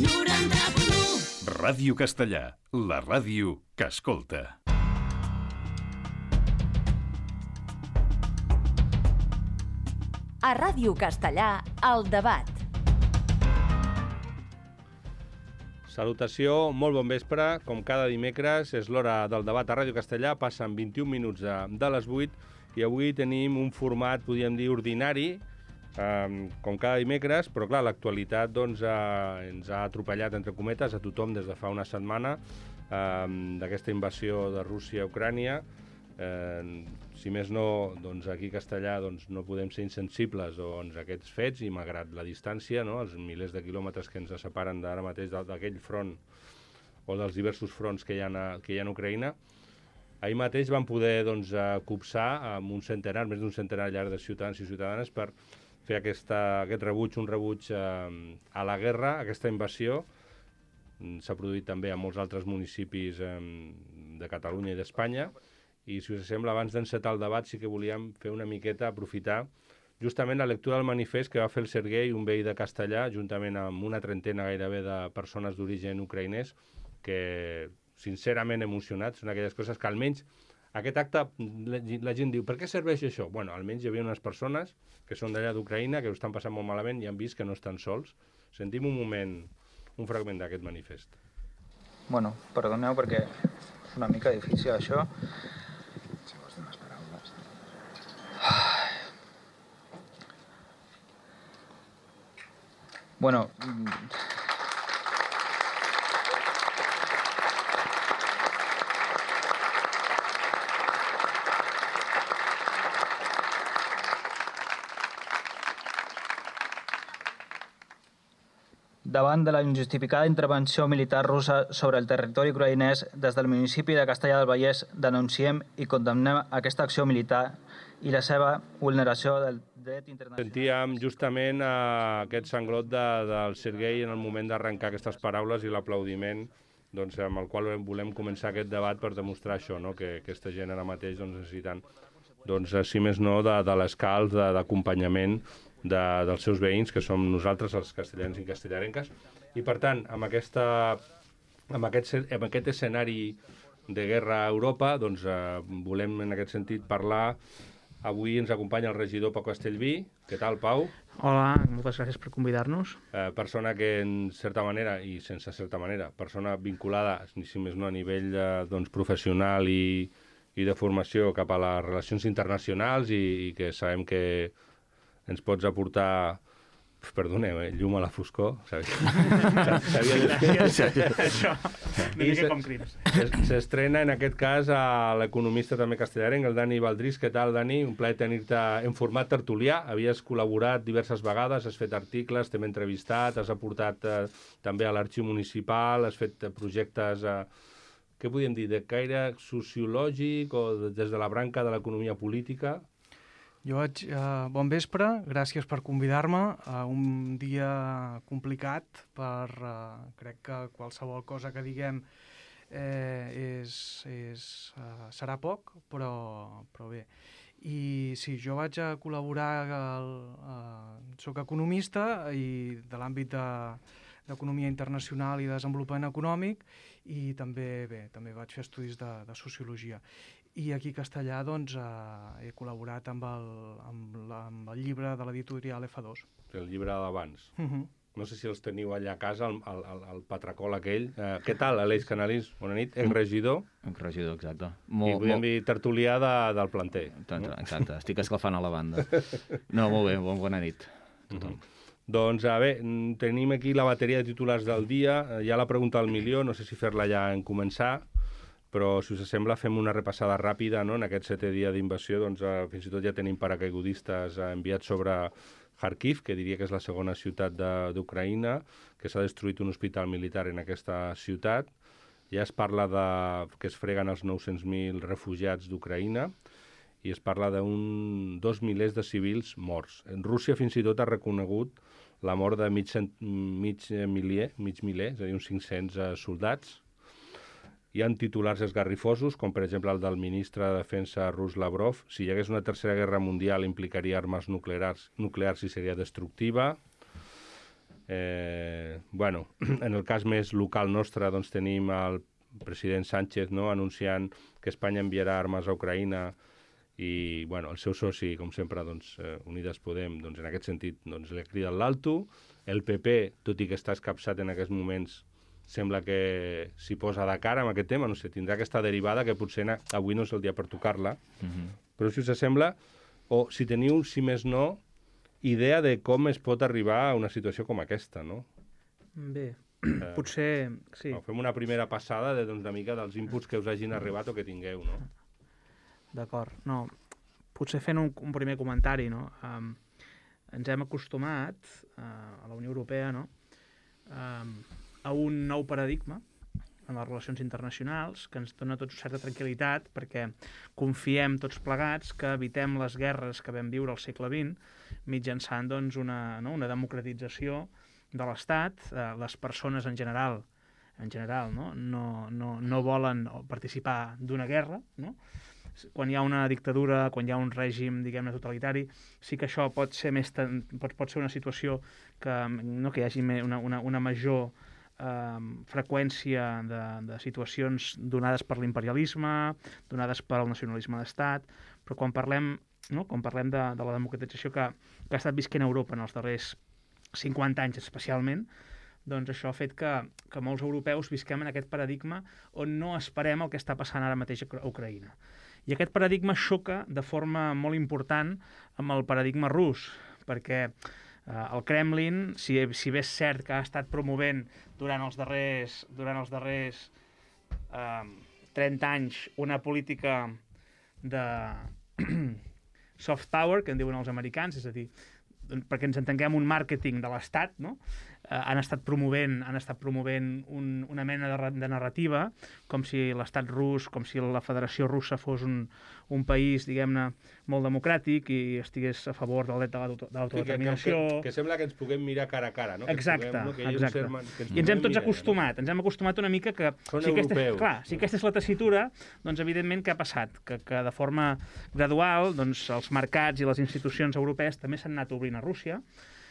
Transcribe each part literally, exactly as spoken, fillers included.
noranta punt u. Ràdio Castellà, la ràdio que escolta. A Ràdio Castellà, el debat. Salutació, molt bon vespre. Com cada dimecres és l'hora del debat a Ràdio Castellà. Passen vint-i-un minuts de, de les vuit i avui tenim un format, podríem dir, ordinari, eh, com cada dimecres, però clar, l'actualitat doncs, eh, ens ha atropellat, entre cometes, a tothom des de fa una setmana eh, d'aquesta invasió de Rússia a Ucrània. Eh, si més no, doncs aquí a Castellà doncs, no podem ser insensibles doncs, a aquests fets i malgrat la distància, no, els milers de quilòmetres que ens separen d'ara mateix d'aquell front o dels diversos fronts que hi ha a, que hi ha a Ucraïna, ahir mateix van poder doncs, copsar amb un centenar, més d'un centenar llarg de ciutadans i ciutadanes per fer aquesta, aquest rebuig, un rebuig eh, a la guerra, aquesta invasió. S'ha produït també a molts altres municipis eh, de Catalunya i d'Espanya. I, si us sembla, abans d'encetar el debat, sí que volíem fer una miqueta, aprofitar justament la lectura del manifest que va fer el Serguei, un veí de Castellà, juntament amb una trentena gairebé de persones d'origen ucraïnès, que, sincerament emocionats, són aquelles coses que almenys aquest acte, la, la gent diu, per què serveix això? Bueno, almenys hi havia unes persones que són d'allà d'Ucraïna, que ho estan passant molt malament i han vist que no estan sols. Sentim un moment, un fragment d'aquest manifest. Bueno, perdoneu perquè és una mica difícil això. Bueno, davant de la injustificada intervenció militar russa sobre el territori ucraïnès, des del municipi de Castellar del Vallès denunciem i condemnem aquesta acció militar i la seva vulneració del dret internacional. Sentíem justament eh, aquest sanglot de, del Serguei en el moment d'arrencar aquestes paraules i l'aplaudiment doncs, amb el qual volem començar aquest debat per demostrar això, no? Que aquesta gent ara mateix doncs, necessiten, doncs, si més no, de, de l'escalf, d'acompanyament de, dels seus veïns, que som nosaltres, els castellans i castellarenques. I, per tant, amb, aquesta, amb, aquest, amb aquest escenari de guerra a Europa, doncs, eh, volem, en aquest sentit, parlar. Avui ens acompanya el regidor Pau Castellví. Què tal, Pau? Hola, moltes gràcies per convidar-nos. Eh, persona que, en certa manera, i sense certa manera, persona vinculada, si més no, a nivell de, doncs, professional i, i de formació cap a les relacions internacionals i, i que sabem que ens pots aportar, perdoneu, eh, llum a la foscor. Sabia Gràcies. Això, una mica com crims. S'estrena en aquest cas a l'economista també castellarenc, el Dani Baldrís. Què tal, Dani? Un plaer tenir-te en format tertulià. Havies col·laborat diverses vegades, has fet articles, t'hem entrevistat, has aportat eh, també a l'arxiu municipal, has fet projectes, eh, què podríem dir, de caire sociològic o de, des de la branca de l'economia política? Jo vaig... Uh, bon vespre, gràcies per convidar-me a un dia complicat per... Uh, crec que qualsevol cosa que diguem eh, és, és, uh, serà poc, però, però bé. I sí, jo vaig a col·laborar, al, uh, soc economista i de l'àmbit de d'economia internacional i desenvolupament econòmic i també, bé, també vaig fer estudis de, de sociologia. I aquí a Castellà doncs, eh, he col·laborat amb el, amb, la, amb el llibre de l'editorial F dos. El llibre d'abans. Uh -huh. No sé si els teniu allà a casa, el, el, el patracol aquell. Eh, què tal, Aleix Canalís? Bona nit, exregidor. Exregidor, exacte. Molt, I podem molt... dir tertulià de, del planter. Exacte, no? Exacte, estic escalfant a la banda. No, molt bé, bon, bona nit a tothom. Uh -huh. Doncs, a bé, tenim aquí la bateria de titulars del dia. Hi ha la pregunta al milió, no sé si fer-la ja en començar, però, si us sembla, fem una repassada ràpida, no? En aquest setè dia d'invasió, doncs, eh, fins i tot ja tenim paracaigudistes eh, enviats sobre Kharkiv, que diria que és la segona ciutat d'Ucraïna, que s'ha destruït un hospital militar en aquesta ciutat. Ja es parla de que es freguen els nou-cents mil refugiats d'Ucraïna i es parla d'un dos milers de civils morts. En Rússia fins i tot ha reconegut la mort de mig, mig miler, mig miler, és a dir, uns cinc-cents uh, soldats. Hi ha titulars esgarrifosos, com per exemple el del ministre de Defensa rus Lavrov. Si hi hagués una tercera guerra mundial implicaria armes nuclears, nuclears i seria destructiva. Eh, bueno, en el cas més local nostre, doncs tenim el president Sánchez, no?, anunciant que Espanya enviarà armes a Ucraïna i, bueno, el seu soci, com sempre, doncs, eh, Unides Podem, doncs, en aquest sentit, doncs, li crida l'alto. El P P, tot i que està escapçat en aquests moments, sembla que s'hi posa de cara amb aquest tema, no sé, tindrà aquesta derivada que potser na... avui no és el dia per tocar-la, uh-huh. Però si us sembla, o si teniu, si més no, idea de com es pot arribar a una situació com aquesta, no? Bé, eh, potser... Sí. No, fem una primera passada de, doncs, una mica dels inputs que us hagin arribat o que tingueu, no? D'acord. No, potser fent un, un primer comentari, no? Um, ens hem acostumat uh, a la Unió Europea, no?, um, a un nou paradigma en les relacions internacionals que ens dona tots certa tranquil·litat perquè confiem tots plegats que evitem les guerres que vam viure al segle vint mitjançant, doncs, una, no?, una democratització de l'Estat. Eh, les persones en general en general, no? No, no, no volen participar d'una guerra, no? Quan hi ha una dictadura, quan hi ha un règim, diguem-ne, totalitari, sí que això pot ser més ten... pot, pot ser una situació que, no, que hi hagi una, una, una major eh, freqüència de, de situacions donades per l'imperialisme, donades pel nacionalisme d'estat, però quan parlem, no? quan parlem de, de la democratització que, que ha estat visquent a Europa en els darrers cinquanta anys especialment, doncs això ha fet que, que molts europeus visquem en aquest paradigma on no esperem el que està passant ara mateix a Ucraïna. I aquest paradigma xoca de forma molt important amb el paradigma rus, perquè eh, el Kremlin, si, si bé és cert que ha estat promovent durant els darrers, durant els darrers eh, trenta anys una política de soft power, que en diuen els americans, és a dir, perquè ens entenguem, un màrqueting de l'Estat, no? Eh, han estat promovent, han estat promovent un, una mena de, de narrativa, com si l'Estat rus, com si la Federació Russa fos un, un país, diguem-ne, molt democràtic i estigués a favor del dret de l'autodeterminació. Sí, que, que, que sembla que ens puguem mirar cara a cara, no? Exacte, que puguem, no? que exacte. Serman, que ens I ens hem tots mirar, acostumat, no? ens hem acostumat una mica que... Són si aquesta, europeus. clar, si aquesta és la tessitura, doncs evidentment què ha passat? Que, que de forma gradual, doncs, els mercats i les institucions europees també s'han anat obrint a Rússia,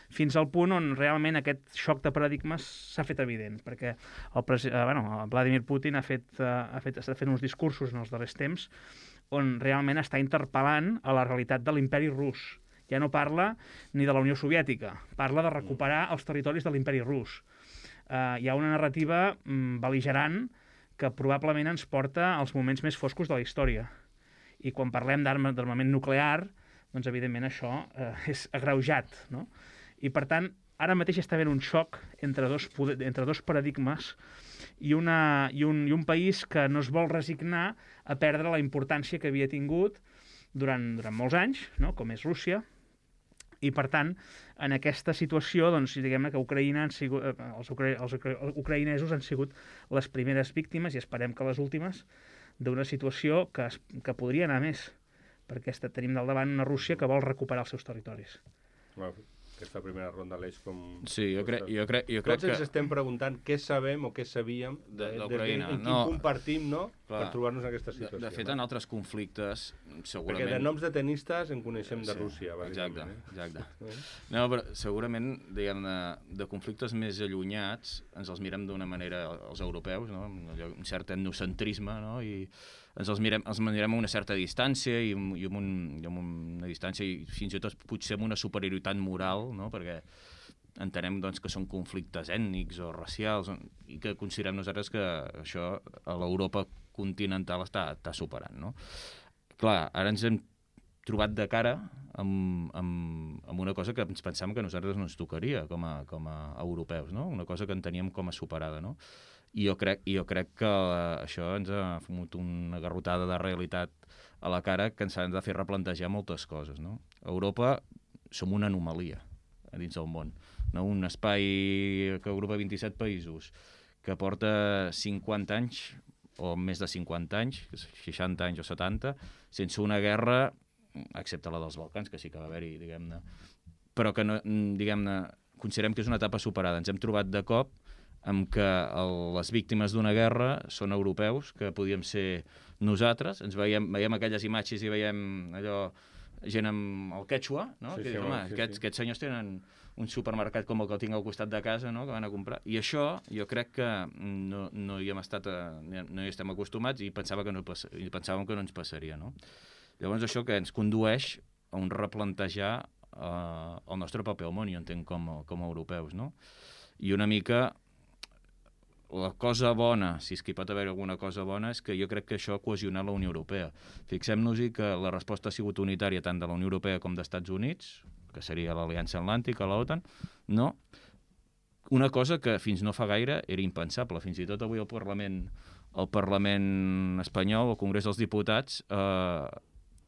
fins al punt on realment aquest xoc de paradigmes s'ha fet evident, perquè el, presi... eh, bueno, el Vladimir Putin ha fet, eh, ha fet, està fent uns discursos en els darrers temps on realment està interpel·lant a la realitat de l'imperi rus. Ja no parla ni de la Unió Soviètica, parla de recuperar els territoris de l'imperi rus. Eh, hi ha una narrativa mm, bel·ligerant que probablement ens porta als moments més foscos de la història. I quan parlem d'armament nuclear, doncs evidentment això eh, és agreujat, no? I per tant, ara mateix està havent un xoc entre dos, entre dos paradigmes i, una, i, un, i un país que no es vol resignar a perdre la importància que havia tingut durant, durant molts anys, no? Com és Rússia, i per tant, en aquesta situació, doncs, diguem-ne que Ucraïna han sigut, els, ucra els ucraïnesos han sigut les primeres víctimes, i esperem que les últimes, d'una situació que, es, que podria anar més, perquè tenim del davant una Rússia que vol recuperar els seus territoris. Wow. Aquesta primera ronda l'eix com... Sí, jo crec, jo crec, jo crec Tots ens que... estem preguntant què sabem o què sabíem de, de, de, en quin no, compartim, no?, clar, per trobar-nos en aquesta situació. De, de fet, no? en altres conflictes, segurament... Perquè de noms de tenistes en coneixem de sí, Rússia, exacte, eh? exacte. No, però segurament, diguem-ne, de conflictes més allunyats, ens els mirem d'una manera, els europeus, no?, amb un cert etnocentrisme, no?, i ens els mirem, els mirem a una certa distància i, i, amb un, i amb una distància i fins i tot potser amb una superioritat moral, no?, perquè entenem, doncs, que són conflictes ètnics o racials i que considerem nosaltres que això a l'Europa continental està, està superant, no? Clar, ara ens hem trobat de cara amb, amb, amb una cosa que ens pensàvem que a nosaltres no ens tocaria com a, com a europeus, no? Una cosa que en teníem com a superada, no? I jo crec, jo crec que això ens ha fumut una garrotada de realitat a la cara que ens ha de fer replantejar moltes coses, no? A Europa som una anomalia a dins del món, no? Un espai que agrupa vint-i-set països, que porta cinquanta anys, o més de cinquanta anys, seixanta anys o setanta, sense una guerra, excepte la dels Balcans, que sí que va haver-hi, diguem-ne, però que, no, diguem-ne, considerem que és una etapa superada. Ens hem trobat de cop amb que el, les víctimes d'una guerra són europeus, que podíem ser nosaltres, ens veiem, veiem aquelles imatges i veiem allò gent amb el quechua, no? Sí, que sí, dius, home, sí, aquests, sí. aquests senyors tenen un supermercat com el que el tinc al costat de casa, no? Que van a comprar. I això jo crec que no, no hi hem estat, a, no hi estem acostumats i pensava que no passa, i pensàvem que no ens passaria, no? Llavors això que ens condueix a un replantejar eh, el nostre paper al món, jo entenc com, a- com a europeus, no? I una mica la cosa bona, si és que hi pot haver alguna cosa bona, és que jo crec que això ha cohesionat la Unió Europea. Fixem-nos-hi que la resposta ha sigut unitària tant de la Unió Europea com dels Estats Units, que seria l'Aliança Atlàntica, l'OTAN, no? Una cosa que fins no fa gaire era impensable. Fins i tot avui al Parlament, el Parlament espanyol, el Congrés dels Diputats, eh,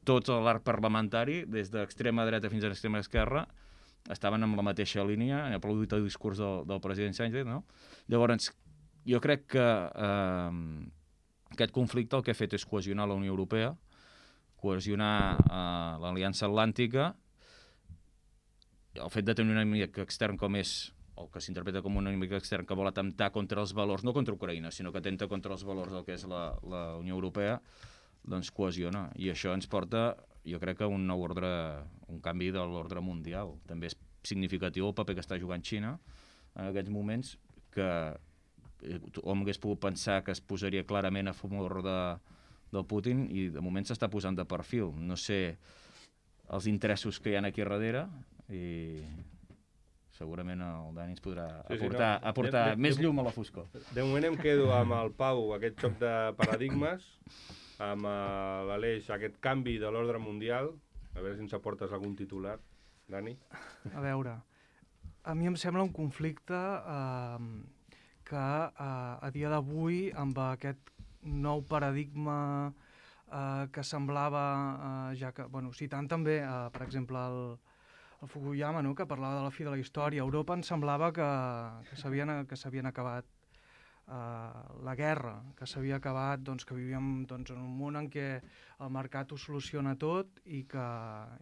tot l'arc parlamentari, des d'extrema dreta fins a l'extrema esquerra, estaven amb la mateixa línia, han aplaudit el discurs del, del president Sánchez, no? Llavors, jo crec que eh, aquest conflicte el que ha fet és cohesionar la Unió Europea, cohesionar eh, l'Aliança Atlàntica, el fet de tenir un enemic extern com és, o que s'interpreta com un enemic extern que vol atemptar contra els valors, no contra Ucraïna, sinó que atenta contra els valors del que és la, la Unió Europea, doncs cohesiona. I això ens porta, jo crec que a un nou ordre, un canvi de l'ordre mundial. També és significatiu el paper que està jugant Xina en aquests moments, que hom hagués pogut pensar que es posaria clarament a favor de, del Putin i de moment s'està posant de perfil. No sé els interessos que hi ha aquí darrere i segurament el Dani ens podrà Sí, sí, aportar, no. aportar De- de- més de- llum a la foscor. De moment em quedo amb el Pau, aquest xoc de paradigmes, amb eh, l'Aleix, aquest canvi de l'ordre mundial. A veure si ens aportes algun titular, Dani. A veure, a mi em sembla un conflicte eh, que eh, a dia d'avui, amb aquest nou paradigma eh, que semblava, eh, ja que, bueno, citant també, eh, per exemple, el, el Fukuyama, no?, que parlava de la fi de la història, a Europa ens semblava que, que s'havien que s'havien acabat eh, la guerra, que s'havia acabat, doncs, que vivíem doncs, en un món en què el mercat ho soluciona tot i que,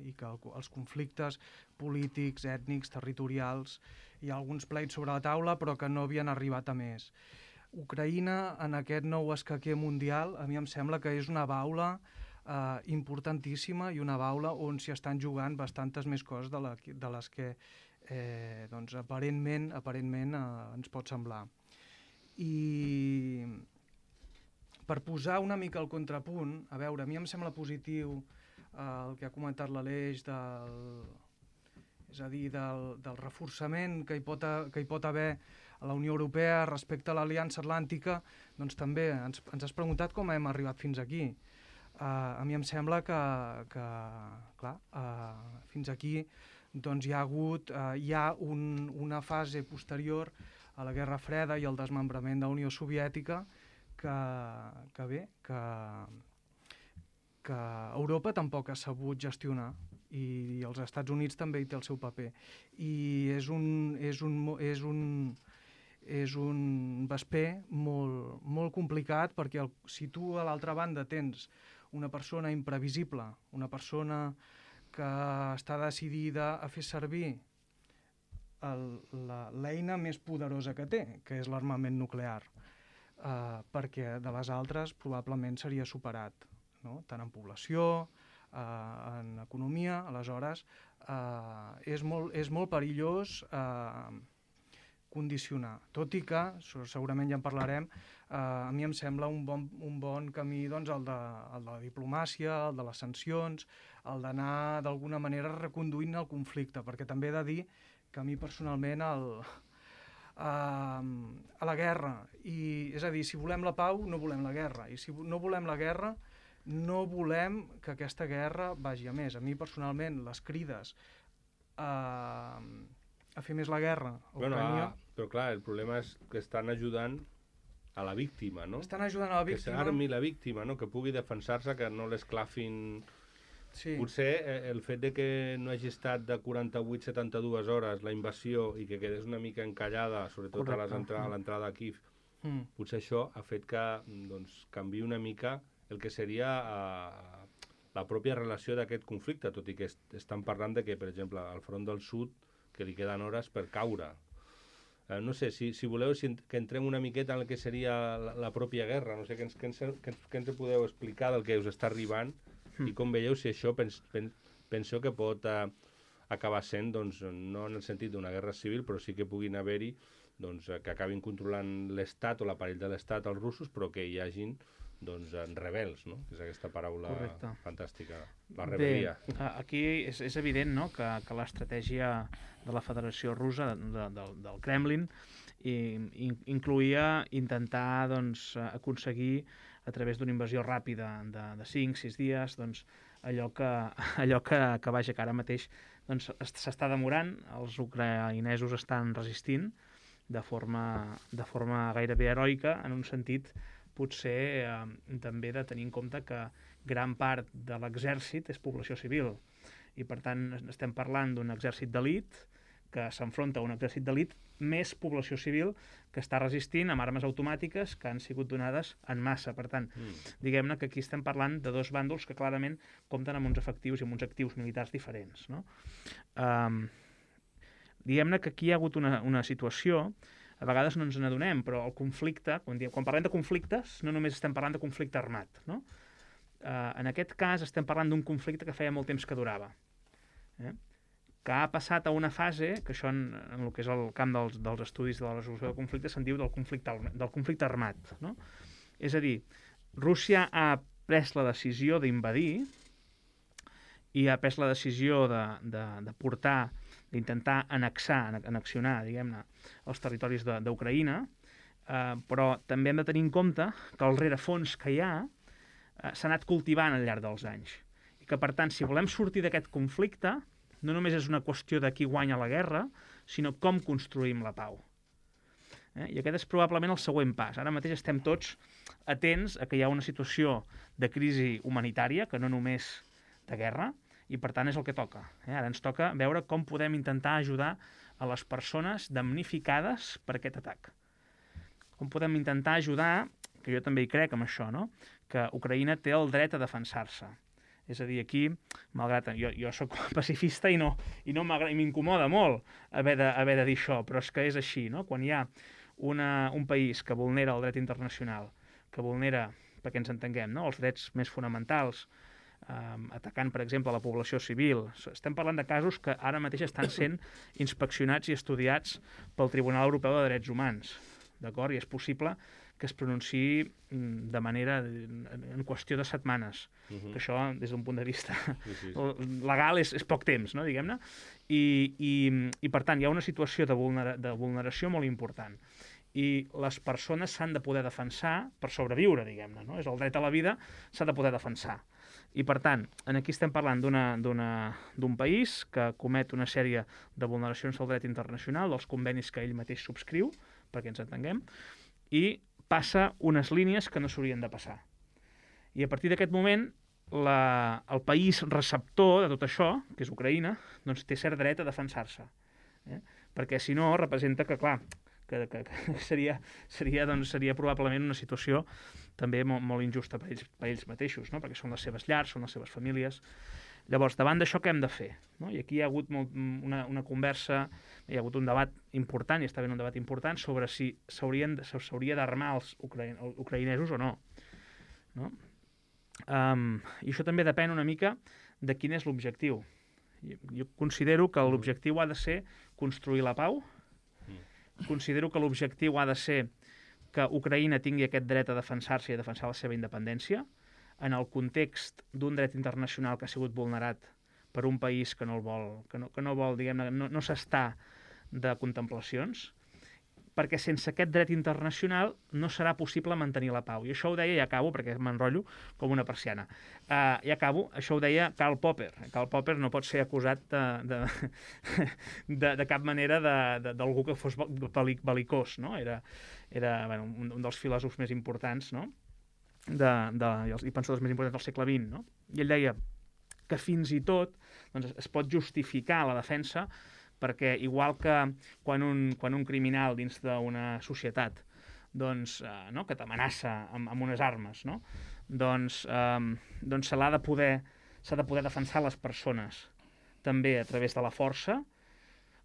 i que el, els conflictes polítics, ètnics, territorials, hi ha alguns pleits sobre la taula però que no havien arribat a més. Ucraïna, en aquest nou escaquer mundial, a mi em sembla que és una baula eh, importantíssima i una baula on s'hi estan jugant bastantes més coses de, la, de les que eh, doncs, aparentment, aparentment eh, ens pot semblar. I per posar una mica el contrapunt, a veure, a mi em sembla positiu eh, el que ha comentat l'Aleix del, és a dir, del, del reforçament que hi, pot a, que hi pot haver a la Unió Europea respecte a l'Aliança Atlàntica, doncs també ens, ens has preguntat com hem arribat fins aquí. Uh, a mi em sembla que, que clar, uh, fins aquí doncs hi ha hagut, uh, hi ha un, una fase posterior a la Guerra Freda i al desmembrament de la Unió Soviètica que, que bé, que, que Europa tampoc ha sabut gestionar i els Estats Units també hi té el seu paper. I és un, és un, és un, és un vesper molt, molt complicat perquè el, si tu a l'altra banda tens una persona imprevisible, una persona que està decidida a fer servir l'eina més poderosa que té, que és l'armament nuclear, eh, perquè de les altres probablement seria superat, no? Tant en població, eh, en economia, aleshores eh, és, molt, és molt perillós eh, condicionar, tot i que, segurament ja en parlarem, eh, a mi em sembla un bon, un bon camí doncs, el, de, el de la diplomàcia, el de les sancions, el d'anar d'alguna manera reconduint el conflicte, perquè també he de dir que a mi personalment el, eh, a la guerra, i, és a dir, si volem la pau no volem la guerra, i si no volem la guerra no volem que aquesta guerra vagi a més. A mi personalment les crides a, a fer més la guerra a Bueno, Ucrània, ah, però clar, el problema és que estan ajudant a la víctima, no? estan ajudant a la víctima. Que s'armi la víctima, no? Que pugui defensar-se, que no l'esclafin. Sí. Potser eh, el fet de que no hagi estat de quaranta-vuit a setanta-dues hores la invasió i que quedés una mica encallada, sobretot a les Correcte. entra a l'entrada a Kiev, Mm. potser això ha fet que doncs, canviï una mica el que seria eh, la pròpia relació d'aquest conflicte, tot i que est estan parlant de que, per exemple, al front del sud, que li queden hores per caure. Eh, no sé, si, si voleu si en, que entrem una miqueta en el que seria la, la pròpia guerra, no sé, què ens, què, ens, què, ens, què ens podeu explicar del que us està arribant mm. i com veieu si això pens, pen, penso que pot eh, acabar sent, doncs, no en el sentit d'una guerra civil, però sí que puguin haver-hi doncs, que acabin controlant l'Estat o l'aparell de l'Estat els russos, però que hi hagin doncs, rebels, no? Que és aquesta paraula Correcte. fantàstica, la rebel·lia. Bé, aquí és, és evident, no?, que, que l'estratègia de la Federació Russa, de, de, del Kremlin, i, in, incluïa intentar doncs, aconseguir, a través d'una invasió ràpida de, de cinc sis dies, doncs, allò que, allò que, que vaja, que ara mateix doncs, s'està demorant, els ucraïnesos estan resistint de forma, de forma gairebé heroica, en un sentit potser eh, també de tenir en compte que gran part de l'exèrcit és població civil i per tant estem parlant d'un exèrcit d'elit que s'enfronta a un exèrcit d'elit més població civil que està resistint amb armes automàtiques que han sigut donades en massa. Per tant, mm. diguem-ne que aquí estem parlant de dos bàndols que clarament compten amb uns efectius i amb uns actius militars diferents, no? Um, diguem-ne que aquí hi ha hagut una, una situació, a vegades no ens n'adonem, però el conflicte, quan, diem, quan parlem de conflictes, no només estem parlant de conflicte armat, no? Uh, en aquest cas estem parlant d'un conflicte que feia molt temps que durava, eh? que ha passat a una fase, que això en, en el que és el camp dels, dels estudis de la resolució del conflicte se'n diu del conflicte, del conflicte armat, no? És a dir, Rússia ha pres la decisió d'invadir i ha pres la decisió de, de, de portar, d'intentar annexar, annexionar, diguem-ne, els territoris d'Ucraïna, eh, però també hem de tenir en compte que el rerefons que hi ha eh, s'ha anat cultivant al llarg dels anys. I que, per tant, si volem sortir d'aquest conflicte, no només és una qüestió de qui guanya la guerra, sinó com construïm la pau. Eh? I aquest és probablement el següent pas. Ara mateix estem tots atents a que hi ha una situació de crisi humanitària, que no només de guerra, i per tant és el que toca. Eh? Ara ens toca veure com podem intentar ajudar a les persones damnificades per aquest atac. Com podem intentar ajudar, que jo també hi crec amb això, no?, que Ucraïna té el dret a defensar-se. És a dir, aquí, malgrat jo, jo soc pacifista i no i no m'incomoda molt haver de, haver de dir això, però és que és així, no? Quan hi ha una, un país que vulnera el dret internacional, que vulnera, perquè ens entenguem, no?, els drets més fonamentals, eh, atacant, per exemple, la població civil. Estem parlant de casos que ara mateix estan sent inspeccionats i estudiats pel Tribunal Europeu de Drets Humans, d'acord? I és possible que es pronunciï de manera en qüestió de setmanes, uh-huh. que això, des d'un punt de vista sí, sí, sí. legal, és, és poc temps, no?, diguem-ne, I, i, i per tant hi ha una situació de, vulnera, de vulneració molt important, i les persones s'han de poder defensar per sobreviure, diguem-ne, no? És el dret a la vida, s'ha de poder defensar. I per tant, aquí estem parlant d'un país que comet una sèrie de vulneracions del dret internacional, dels convenis que ell mateix subscriu, perquè ens entenguem, i passa unes línies que no s'haurien de passar. I a partir d'aquest moment, la, el país receptor de tot això, que és Ucraïna, doncs té cert dret a defensar-se. Eh? Perquè si no, representa que, clar, que, que, que seria, seria, doncs, seria probablement una situació també molt, molt injusta per ells, per ells mateixos, no? Perquè són les seves llars, són les seves famílies. Llavors, davant d'això, què hem de fer? No? I aquí hi ha hagut molt, una, una conversa, hi ha hagut un debat important, i està havent un debat important, sobre si s'hauria d'armar els ucraïnesos o no. No? Um, I això també depèn una mica de quin és l'objectiu. Jo, jo considero que l'objectiu ha de ser construir la pau, considero que l'objectiu ha de ser que Ucraïna tingui aquest dret a defensar-se i a defensar la seva independència, en el context d'un dret internacional que ha sigut vulnerat per un país que no el vol, que no, que no vol, diguem-ne, no, no s'està de contemplacions, perquè sense aquest dret internacional no serà possible mantenir la pau. I això ho deia, i acabo, perquè m'enrotllo com una persiana. Uh, I acabo, això ho deia Karl Popper. Karl Popper no pot ser acusat de, de, de, de cap manera d'algú que fos bel·licós, no? Era, era bueno, un, un dels filòsofs més importants, no?, de, de, i pensadors més importants del segle vint, no? I ell deia que fins i tot doncs, es pot justificar la defensa perquè igual que quan un, quan un criminal dins d'una societat doncs, eh, no? que t'amenaça amb, amb unes armes, no? doncs, eh, doncs se l'ha de poder s'ha de poder defensar les persones també a través de la força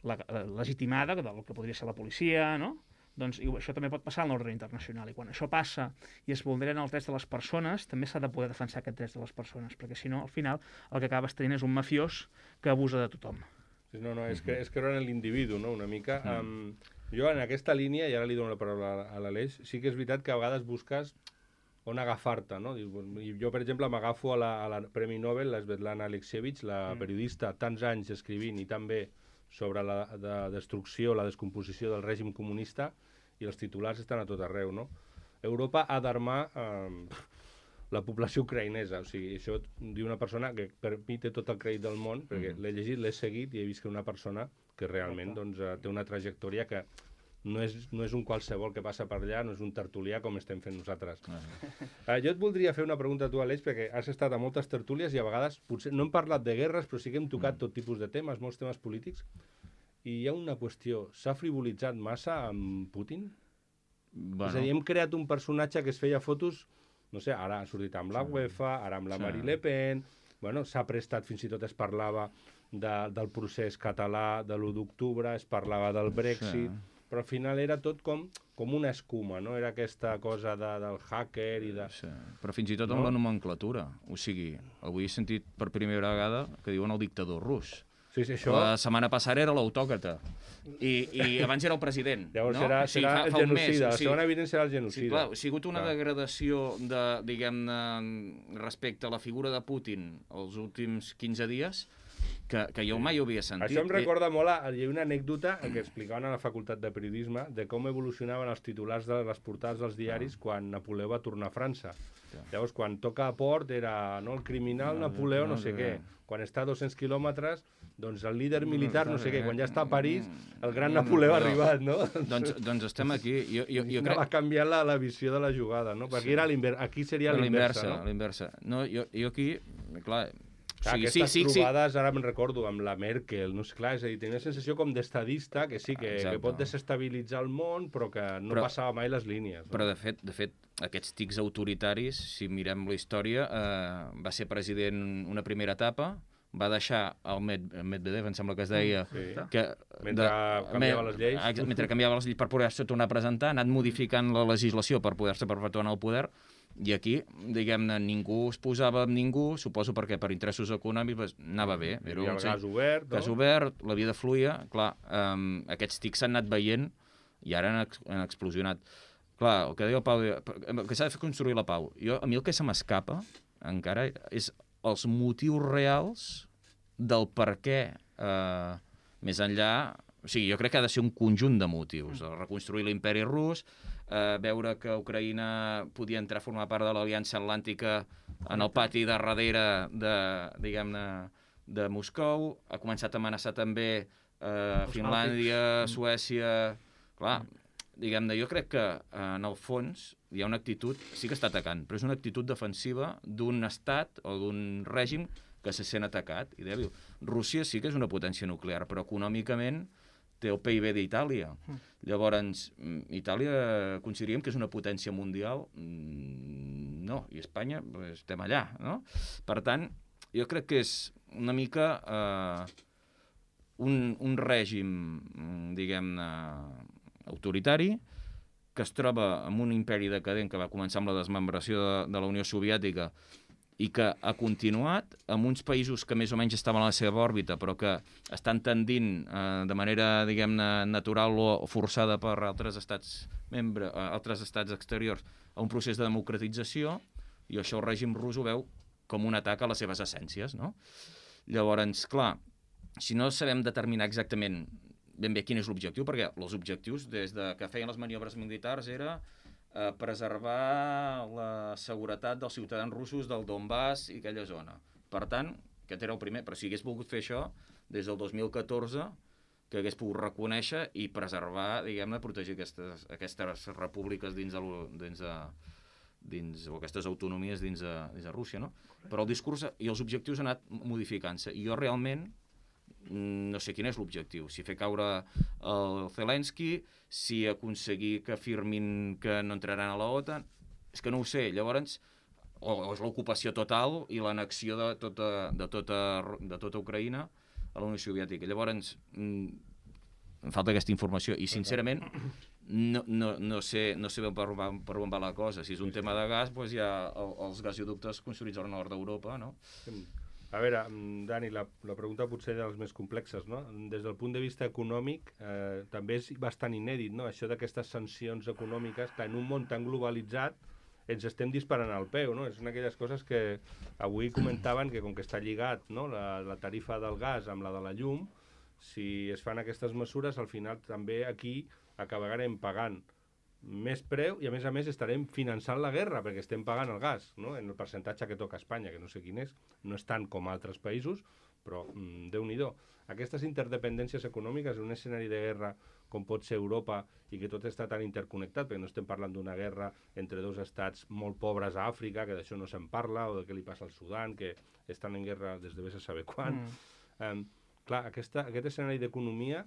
la, la legitimada del que podria ser la policia, no? Doncs i això també pot passar en l'ordre internacional. I quan això passa i es vulneren els drets de les persones, també s'ha de poder defensar aquests drets de les persones, perquè si no, al final, el que acabes tenint és un mafiós que abusa de tothom. No, no, és, que, és creure en l'individu, no?, una mica. Mm. Um, jo, en aquesta línia, i ara li dono la paraula a l'Aleix, sí que és veritat que a vegades busques on agafar-te, no? I jo, per exemple, m'agafo a, la, a la Premi Nobel, la Svetlana Alexievich, la periodista, tants anys escrivint i tan bé sobre la de destrucció, la descomposició del règim comunista, i els titulars estan a tot arreu, no? Europa ha d'armar eh, la població ucraïnesa, o sigui, això diu una persona que per mi té tot el crèdit del món, perquè l'he llegit, l'he seguit i he vist que una persona que realment doncs, té una trajectòria que no és, no és un qualsevol que passa per allà, no és un tertulià com estem fent nosaltres. Uh, jo et voldria fer una pregunta a tu, Aleix, perquè has estat a moltes tertúlies i a vegades, potser no hem parlat de guerres, però sí que hem tocat tot tipus de temes, molts temes polítics, i hi ha una qüestió, s'ha frivolitzat massa amb Putin? Bueno. És a dir, hem creat un personatge que es feia fotos, no sé, ara ha sortit amb la UEFA, ara amb la sí. Marine Le Pen, bueno, s'ha prestat, fins i tot es parlava de, del procés català de l'u d'octubre, es parlava del Brexit, sí. Però al final era tot com, com una escuma, no? Era aquesta cosa de, del hacker i de... Sí. Però fins i tot amb no? la nomenclatura. O sigui, avui he sentit per primera vegada que diuen el dictador rus. Sí, sí, això... La setmana passada era l'autòcrata. I, I abans era el president. Llavors no? serà, o sigui, serà fa, el fa genocida. mes, La segona evident serà el genocida. Sí, clar, ha sigut una clar. degradació de, diguem-ne, respecte a la figura de Putin els últims quinze dies que, que jo mai ho havia sentit. Això em recorda molt, a, hi ha una anècdota que explicaven a la Facultat de Periodisme de com evolucionaven els titulars de les portades dels diaris ah. quan Napoleó va tornar a França. Ja. Llavors, quan toca a port era no, el criminal no, Napoleó no, no sé no, què. Quan està a dos-cents quilòmetres, doncs el líder militar no sé què. Quan ja està a París, el gran Napoleó ha arribat, no? Doncs, doncs estem aquí. Jo, jo, jo crec... Va canviar la, la visió de la jugada, no? Perquè sí. era aquí seria l'inversa, no? L'inversa. No, jo, jo aquí, clar... Clar, sí, aquestes sí, sí, trobades, sí. ara me'n recordo, amb la Merkel, no sé, clar, és a dir, tenia una sensació com d'estadista, que sí, que, que pot desestabilitzar el món, però que no però, passava mai les línies. No? Però, de fet, de fet, aquests tics autoritaris, si mirem la història, eh, va ser president una primera etapa, va deixar el Med Medvedev, em sembla que es deia... Sí. Que, mentre de, canviava les lleis. Mentre canviava les lleis per poder-se tornar a presentar, ha anat modificant la legislació per poder-se perpetuar en el poder. I aquí, diguem-ne, ningú es posava amb ningú, suposo perquè per interessos econòmics anava bé. Era un gas obert, no? Gas obert, la vida fluïa, clar, um, aquests tics s'han anat veient i ara han, ex han explosionat. Clar, el que deia el Pau, el que s'ha de fer construir la pau. Jo, a mi el que se m'escapa, encara, és els motius reals del per què, eh, més enllà... O sigui, jo crec que ha de ser un conjunt de motius. Reconstruir l'imperi rus, eh, veure que Ucraïna podia entrar a formar part de l'Aliança Atlàntica en el pati de darrere de, diguem-ne, de Moscou, ha començat a amenaçar també eh, Finlàndia, Suècia... Clar, diguem-ne, jo crec que eh, en el fons hi ha una actitud, sí que està atacant, però és una actitud defensiva d'un estat o d'un règim que se sent atacat i dèbil. Rússia sí que és una potència nuclear, però econòmicament té el P I B d'Itàlia. Mm. Llavors, Itàlia consideraríem que és una potència mundial? No, i Espanya pues, estem allà, no? Per tant, jo crec que és una mica eh, un, un règim, diguem-ne, autoritari, que es troba en un imperi decadent que va començar amb la desmembració de, de la Unió Soviètica i que ha continuat amb uns països que més o menys estaven a la seva òrbita però que estan tendint eh, de manera, diguem-ne, natural o forçada per altres estats membres, eh, altres estats exteriors a un procés de democratització, i això el règim rus ho veu com un atac a les seves essències, no? Llavors, clar, si no sabem determinar exactament ben bé quin és l'objectiu, perquè els objectius des de que feien les maniobres militars era eh, preservar la seguretat dels ciutadans russos del Donbass i aquella zona. Per tant, aquest era el primer, però si hagués volgut fer això des del dos mil catorze, que hagués pogut reconèixer i preservar, diguem-ne, protegir aquestes, aquestes repúbliques dins de, dins de, dins, o aquestes autonomies dins de, dins de Rússia, no? Però el discurs i els objectius han anat modificant-se, i jo realment no sé quin és l'objectiu, si fer caure el Zelensky, si aconseguir que afirmin que no entraran a la OTAN, és que no ho sé. Llavors, o, o és l'ocupació total i l'annexió de, tota, de, tota, de tota Ucraïna a la Unió Soviètica. Llavors, em falta aquesta informació i, sincerament, no, no, no, sé, no sé ben per, per on va la cosa. Si és un sí, tema sí. de gas, doncs ja el, els gasoductes construïts al nord d'Europa, no? A veure, Dani, la, la pregunta potser dels més complexes, no? Des del punt de vista econòmic, eh, també és bastant inèdit, no? Això d'aquestes sancions econòmiques, que en un món tan globalitzat ens estem disparant al peu, no? És una d'aquelles coses que avui comentaven que com que està lligat, no? la, la tarifa del gas amb la de la llum, si es fan aquestes mesures, al final també aquí acabarem pagant més preu i a més a més estarem finançant la guerra perquè estem pagant el gas, no? En el percentatge que toca a Espanya, que no sé quin és, no és tant com a altres països, però mm, Déu-n'hi-do. Aquestes interdependències econòmiques en un escenari de guerra com pot ser Europa i que tot està tan interconnectat, perquè no estem parlant d'una guerra entre dos estats molt pobres a Àfrica, que d'això no se'n parla, o de què li passa al Sudan, que estan en guerra des de vés a saber quan. Mm. Um, clar, aquesta, aquest escenari d'economia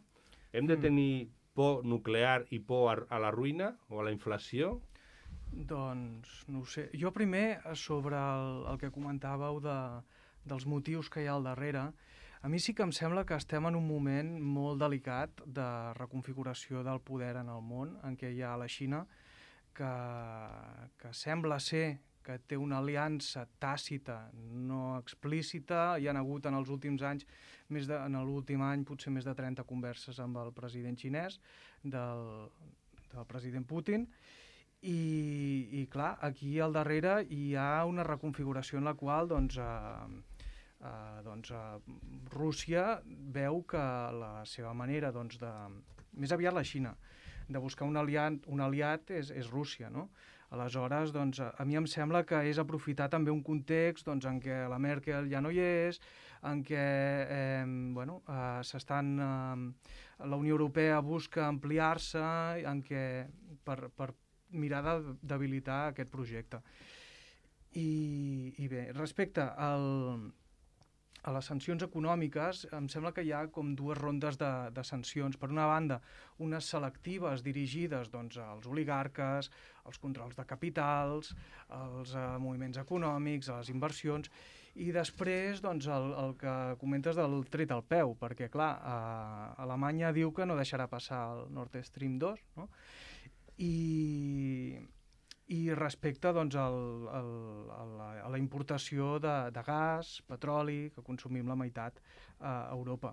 hem de tenir mm. por nuclear i por a, a la ruïna o a la inflació? Doncs no ho sé. Jo primer, sobre el, el que comentàveu de, dels motius que hi ha al darrere, a mi sí que em sembla que estem en un moment molt delicat de reconfiguració del poder en el món, en què hi ha la Xina, que, que sembla ser que té una aliança tàcita, no explícita. Hi ha hagut en els últims anys, més de, en l'últim any, potser més de trenta converses amb el president xinès, del, del president Putin, i, i clar, aquí al darrere hi ha una reconfiguració en la qual doncs, eh, eh, doncs, eh, Rússia veu que la seva manera, doncs, de, més aviat la Xina, de buscar un aliat, un aliat és, és Rússia, no? Aleshores, doncs, a mi em sembla que és aprofitar també un context doncs, en què la Merkel ja no hi és, en què eh, bueno, eh, s'estan, eh, la Unió Europea busca ampliar-se, en què per, per mirar de debilitar aquest projecte. I, i bé, respecte al, a les sancions econòmiques, em sembla que hi ha com dues rondes de, de sancions. Per una banda, unes selectives dirigides doncs, als oligarques, als controls de capitals, als uh, moviments econòmics, a les inversions, i després doncs, el, el que comentes del tret al peu, perquè clar, uh, Alemanya diu que no deixarà passar el Nord Stream dos, no? I... I respecte doncs, al, al, a, la, a la importació de, de gas, petroli, que consumim la meitat a Europa.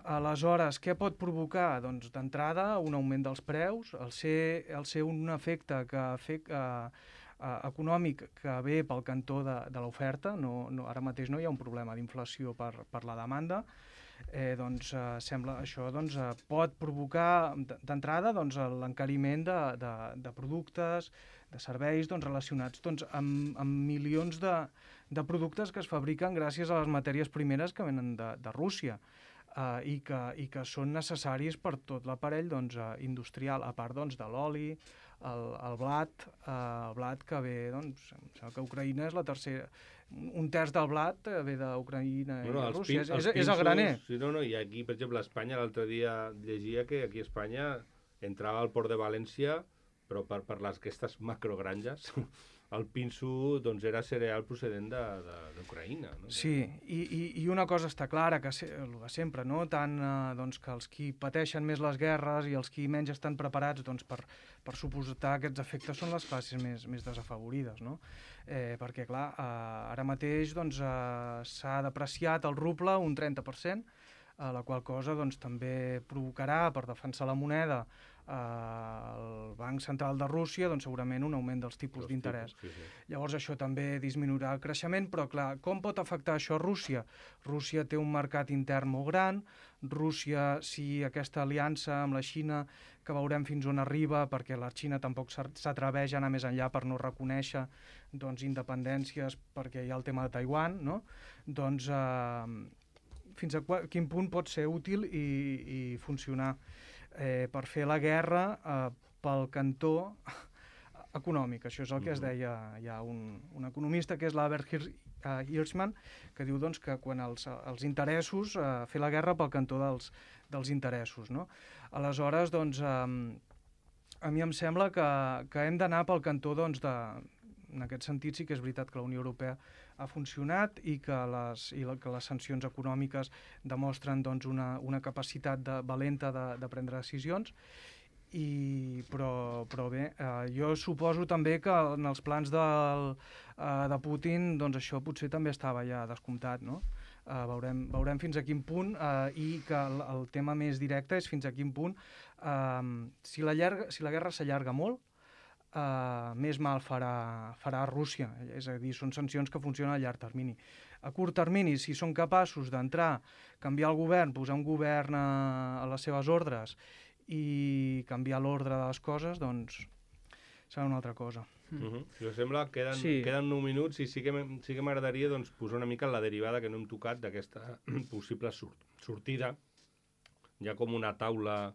Aleshores, què pot provocar? Doncs d'entrada un augment dels preus, el ser, el ser un efecte que, efect, eh, eh, econòmic que ve pel cantó de, de l'oferta, no, no, ara mateix no hi ha un problema d'inflació per, per la demanda, eh, doncs eh, sembla això doncs, eh, pot provocar d'entrada doncs, l'encariment de, de, de productes, de serveis doncs, relacionats doncs, amb, amb milions de, de productes que es fabriquen gràcies a les matèries primeres que venen de, de Rússia eh, i, que, i que són necessaris per tot l'aparell doncs, eh, industrial, a part doncs, de l'oli, el, el blat, eh, el blat que ve, doncs, em sembla que Ucraïna és la tercera, un terç del blat ve d'Ucraïna no, no, i Rússia, pin, és, pinsos, és el graner. Sí, no, no, i aquí, per exemple, a Espanya, l'altre dia llegia que aquí a Espanya entrava al port de València, però per, per les aquestes macrogranges, el pinso doncs, era cereal procedent d'Ucraïna. No? Sí, i, i, i una cosa està clara, que se, el de sempre, no? Tant eh, doncs, que els qui pateixen més les guerres i els qui menys estan preparats doncs, per, per suportar aquests efectes són les classes més, més desafavorides, no? Eh, perquè, clar, eh, ara mateix doncs, eh, s'ha depreciat el ruble un trenta per cent, eh, la qual cosa doncs, també provocarà, per defensar la moneda, eh, el Banc Central de Rússia, doncs, segurament un augment dels tipus d'interès. Sí, sí. Llavors això també disminuirà el creixement, però clar, com pot afectar això a Rússia? Rússia té un mercat intern molt gran, Rússia, si aquesta aliança amb la Xina, que veurem fins on arriba, perquè la Xina tampoc s'atreveix a anar més enllà per no reconèixer doncs, independències, perquè hi ha el tema de Taiwan, no? Doncs eh, fins a quin punt pot ser útil i, i funcionar eh, per fer la guerra eh, pel cantó econòmic. Això és el que es deia, hi ha un, un economista que és l'Albert Hirschman, que diu doncs, que quan els, els interessos, eh, fer la guerra pel cantó dels, dels interessos. No? Aleshores, doncs, eh, a mi em sembla que, que hem d'anar pel cantó doncs, de, en aquest sentit sí que és veritat que la Unió Europea ha funcionat i que les, i la, que les sancions econòmiques demostren doncs, una, una capacitat de, valenta de, de prendre decisions I, però, però bé, eh, jo suposo també que en els plans del, eh, de Putin doncs això potser també estava ja descomptat, no? Eh, veurem, veurem fins a quin punt, eh, i que el, el tema més directe és fins a quin punt, eh, si, la llarga, si la guerra s'allarga molt, eh, més mal farà, farà Rússia, és a dir, són sancions que funcionen a llarg termini. A curt termini, si són capaços d'entrar, canviar el govern, posar un govern a, a les seves ordres i canviar l'ordre de les coses, doncs serà una altra cosa. Mm. Uh -huh. Si us sembla, queden, Sí. queden nou minuts i sí que sí que m'agradaria doncs, posar una mica la derivada que no hem tocat d'aquesta possible sur sortida. Hi ha com una taula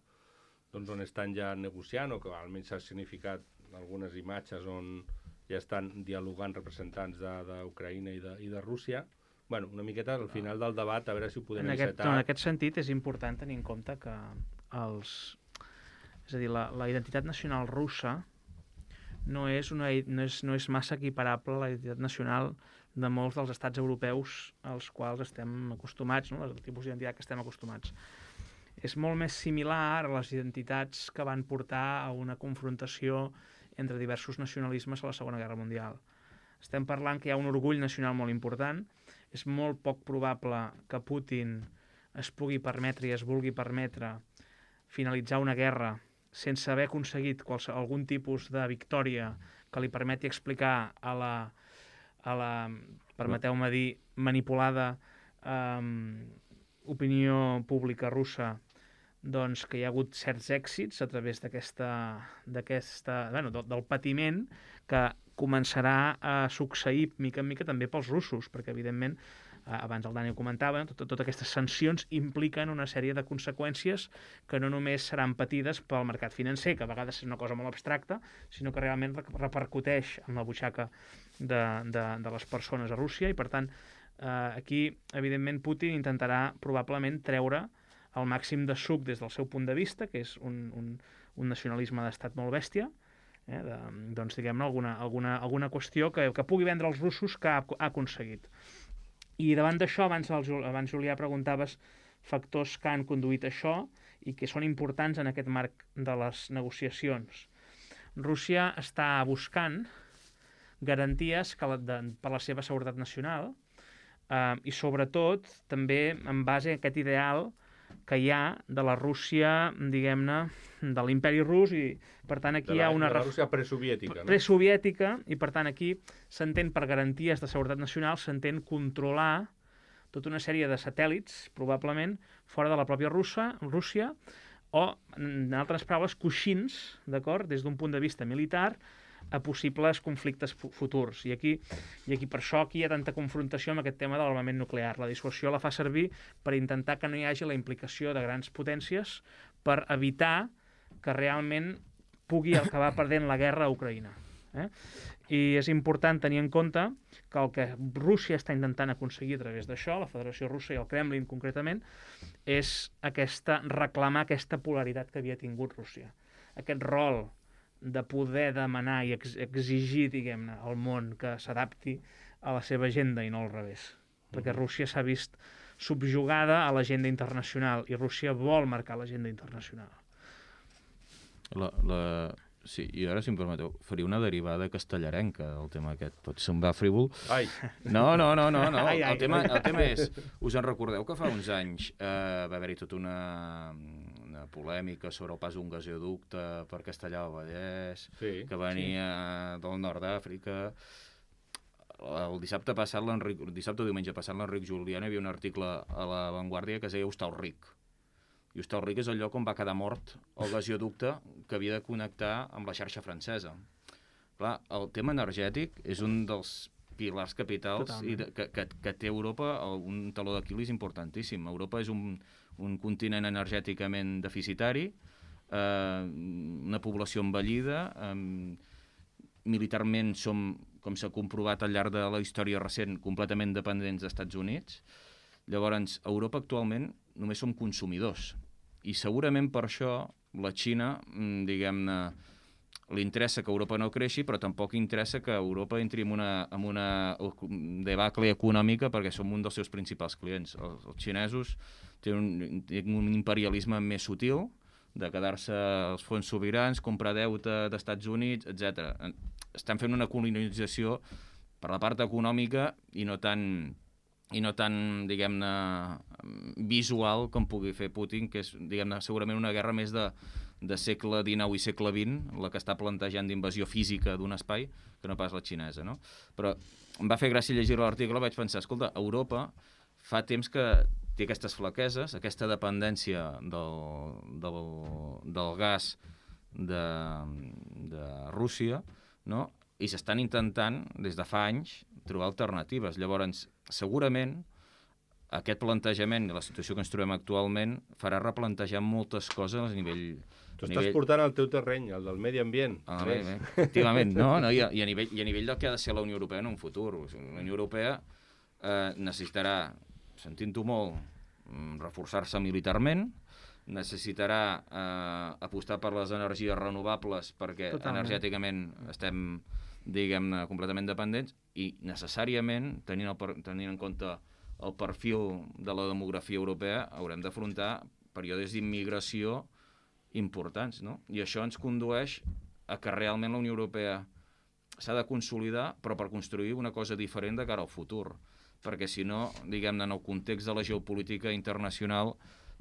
doncs, on estan ja negociant, o que almenys s'ha significat algunes imatges on ja estan dialogant representants d'Ucraïna i, de, i de Rússia. Bueno, una miqueta al final del debat, a veure si ho podem En aquest, encetar. no, en aquest sentit és important tenir en compte que els... És a dir, la, la identitat nacional russa no és, una, no, és, no és massa equiparable a la identitat nacional de molts dels estats europeus als quals estem acostumats, no? El tipus d'identitat que estem acostumats. És molt més similar a les identitats que van portar a una confrontació entre diversos nacionalismes a la Segona Guerra Mundial. Estem parlant que hi ha un orgull nacional molt important. És molt poc probable que Putin es pugui permetre i es vulgui permetre finalitzar una guerra sense haver aconseguit qualsevol, algun tipus de victòria que li permeti explicar a la, a la permeteu-me dir, manipulada um, opinió pública russa, doncs que hi ha hagut certs èxits a través d'aquesta, d'aquesta, bueno, del, del patiment que començarà a succeir mica en mica també pels russos, perquè evidentment abans el Dani ho comentava, totes tot aquestes sancions impliquen una sèrie de conseqüències que no només seran patides pel mercat financer, que a vegades és una cosa molt abstracta, sinó que realment repercuteix en la butxaca de, de, de les persones a Rússia, i per tant eh, aquí evidentment Putin intentarà probablement treure el màxim de suc des del seu punt de vista, que és un, un, un nacionalisme d'estat molt bèstia, eh, de, doncs diguem-ne alguna, alguna, alguna qüestió que, que pugui vendre als russos que ha, ha aconseguit. I davant d'això, abans, abans Julià preguntaves factors que han conduït això i que són importants en aquest marc de les negociacions. Rússia està buscant garanties que la, de, per la seva seguretat nacional eh, i sobretot també en base a aquest ideal que hi ha de la Rússia, diguem-ne, de l'imperi rus, i per tant aquí la, hi ha una... De la Rússia presoviètica, no? Presoviètica, i per tant aquí s'entén per garanties de seguretat nacional, s'entén controlar tota una sèrie de satèl·lits, probablement, fora de la pròpia Rússia, Rússia o, en altres paraules, coixins, d'acord, des d'un punt de vista militar, a possibles conflictes futurs. I aquí, i aquí per això aquí hi ha tanta confrontació amb aquest tema de l'armament nuclear. La dissuasió la fa servir per intentar que no hi hagi la implicació de grans potències per evitar que realment pugui acabar perdent la guerra a Ucraïna. Eh? I és important tenir en compte que el que Rússia està intentant aconseguir a través d'això, la Federació Russa i el Kremlin concretament, és aquesta, reclamar aquesta polaritat que havia tingut Rússia. Aquest rol de poder demanar i ex exigir, diguem-ne, al món que s'adapti a la seva agenda i no al revés. Perquè Rússia s'ha vist subjugada a l'agenda internacional i Rússia vol marcar l'agenda internacional. La, la... Sí, i ara, si em permeteu, faria una derivada castellarenca del tema aquest. Pot semblar frívol. Ai! No, no, no, no, no. Ai, ai, el, tema, ai. el tema és... Us en recordeu que fa uns anys eh, va haver-hi tota una, una polèmica sobre el pas d'un gasoducte per Castellar del Vallès, Sí, que venia sí. del nord d'Àfrica. El dissabte passat, l'Enric, dissabte o diumenge passat, l'Enric Julián hi havia un article a La Vanguardia que es deia Hostalric. I Hostalric és el lloc on va quedar mort el gasoducte que havia de connectar amb la xarxa francesa. Clar, el tema energètic és un dels pilars capitals i de, que, que, que té Europa un taló d'Aquil·lis importantíssim. Europa és un, un continent energèticament deficitari, eh, una població envellida, eh, militarment som, com s'ha comprovat al llarg de la història recent, completament dependents dels Estats Units. Llavors, a Europa actualment només som consumidors. I segurament per això la Xina, diguem-ne, li interessa que Europa no creixi, però tampoc interessa que Europa entri en una, en una debacle econòmica perquè som un dels seus principals clients. Els, els xinesos tenen un, un imperialisme més sutil, de quedar-se els fons sobirans, comprar deute d'Estats Units, etcètera. Estan fent una colonització per la part econòmica i no tan, i no tan diguem-ne, visual com pugui fer Putin, que és, diguem-ne, segurament una guerra més de, de segle dinou i segle vint, la que està plantejant d'invasió física d'un espai, que no pas la xinesa, no? Però em va fer gràcia llegir l'article, vaig pensar, escolta, Europa fa temps que té aquestes flaqueses, aquesta dependència del, del, del gas de, de Rússia, no? I s'estan intentant, des de fa anys, trobar alternatives. Llavors, segurament, aquest plantejament i la situació que ens trobem actualment farà replantejar moltes coses a nivell... Tu estàs nivell... portant el teu terreny, el del medi ambient. Ah, bé, bé. Efectivament, no? no? I, a, i, a nivell, I a nivell del que ha de ser la Unió Europea en un futur. La Unió Europea eh, necessitarà, sentint-ho molt, reforçar-se militarment, necessitarà eh, apostar per les energies renovables perquè Totalment. energèticament estem, diguem-ne, completament dependents i necessàriament, tenint, el, tenint en compte el perfil de la demografia europea, haurem d'afrontar períodes d'immigració importants, no? I això ens condueix a que realment la Unió Europea s'ha de consolidar, però per construir una cosa diferent de cara al futur. Perquè si no, diguem-ne, en el context de la geopolítica internacional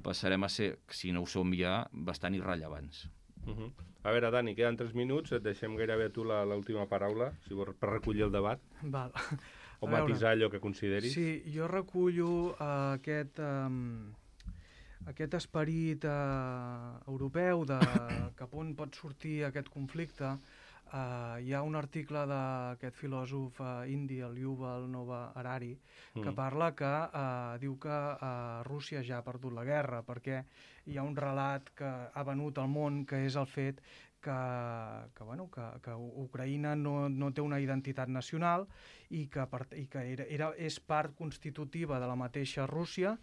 passarem a ser, si no ho som ja, bastant irrellevants. Uh -huh. A veure, Dani, queden tres minuts, et deixem gairebé a tu l'última paraula, si vols, per recollir el debat. Val. O matisar allò que consideris. Sí, jo recullo uh, aquest, um, aquest esperit uh, europeu de cap on pot sortir aquest conflicte. Uh, hi ha un article d'aquest filòsof uh, indi, el Yuval Noah Harari, que mm. parla que uh, diu que uh, Rússia ja ha perdut la guerra, perquè hi ha un relat que ha venut al món, que és el fet que, que, bueno, que, que Ucraïna no, no té una identitat nacional i que, per, i que era, era, és part constitutiva de la mateixa Rússia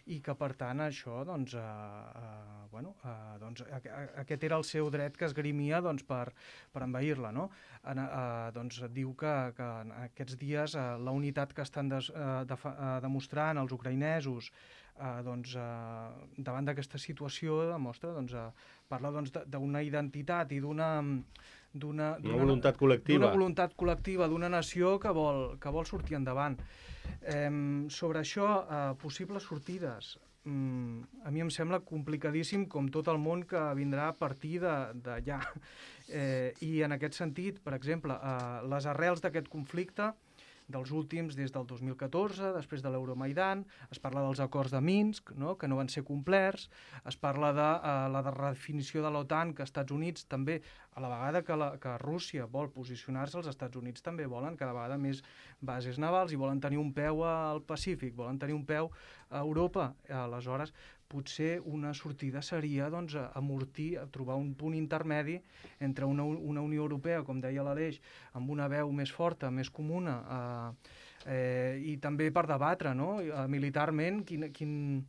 i que, per tant, això, doncs, uh, uh, bueno, uh, doncs, a, a, aquest era el seu dret que esgrimia doncs, per, per envair-la, no? En, uh, doncs diu que, que en aquests dies uh, la unitat que estan des, uh, de, uh, demostrant els ucraïnesos uh, doncs, uh, davant d'aquesta situació demostra, doncs, uh, parla doncs, d'una identitat i d'una... d'una voluntat col·lectiva. D'una voluntat col·lectiva, d'una nació que vol, que vol sortir endavant. Eh, sobre això, eh, possibles sortides. Mm, a mi em sembla complicadíssim, com tot el món que vindrà a partir d'allà. Eh, I en aquest sentit, per exemple, eh, les arrels d'aquest conflicte, dels últims des del dos mil catorze, després de l'Euromaidan, es parla dels acords de Minsk, no?, que no van ser complerts, es parla de uh, la de redefinició de l'OTAN, que els Estats Units també, a la vegada que, la, que Rússia vol posicionar-se, els Estats Units també volen cada vegada més bases navals i volen tenir un peu al Pacífic, volen tenir un peu a Europa. Aleshores, potser una sortida seria doncs, amortir, trobar un punt intermedi entre una, una Unió Europea, com deia l'Aleix, amb una veu més forta, més comuna, eh, eh, i també per debatre, no?, militarment, quin, quin,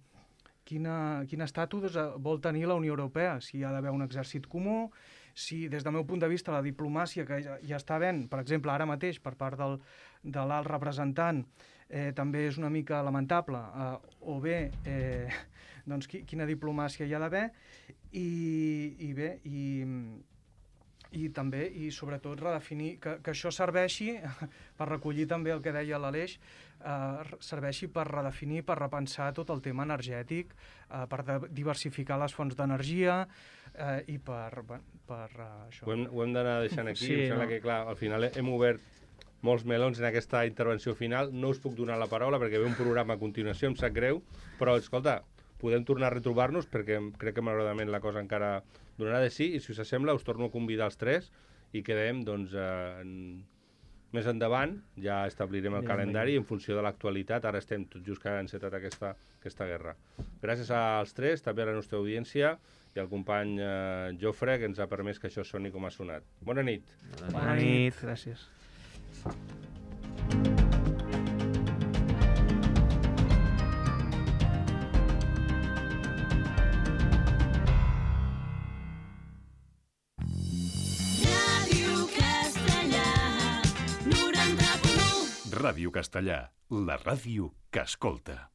quina, quin estatus vol tenir la Unió Europea, si hi ha d'haver un exèrcit comú, si des del meu punt de vista la diplomàcia que ja, ja està havent, per exemple, ara mateix per part del, de l'alt representant, eh, també és una mica lamentable, eh, o bé... Eh, doncs quina diplomàcia hi ha d'haver i, i bé, i, i també, i sobretot redefinir, que, que això serveixi, per recollir també el que deia l'Aleix, eh, serveixi per redefinir, per repensar tot el tema energètic, eh, per diversificar les fonts d'energia eh, i per, per, per uh, això. Ho hem, ho hem d'anar deixant aquí, sí, em sembla no? que clar, al final hem obert molts melons en aquesta intervenció final, no us puc donar la paraula perquè ve un programa a continuació, em sap greu, però escolta, podem tornar a retrobar-nos perquè crec que malauradament la cosa encara donarà de sí i si us sembla us torno a convidar els tres i quedem doncs eh, en... més endavant, ja establirem el Bien, calendari bien. en funció de l'actualitat, ara estem tot just que ha encetat aquesta, aquesta guerra. Gràcies als tres, també a la nostra audiència i al company eh, Jofre que ens ha permès que això soni com ha sonat. Bona nit. Bona nit, gràcies. Ràdio Castellà, la ràdio que escolta.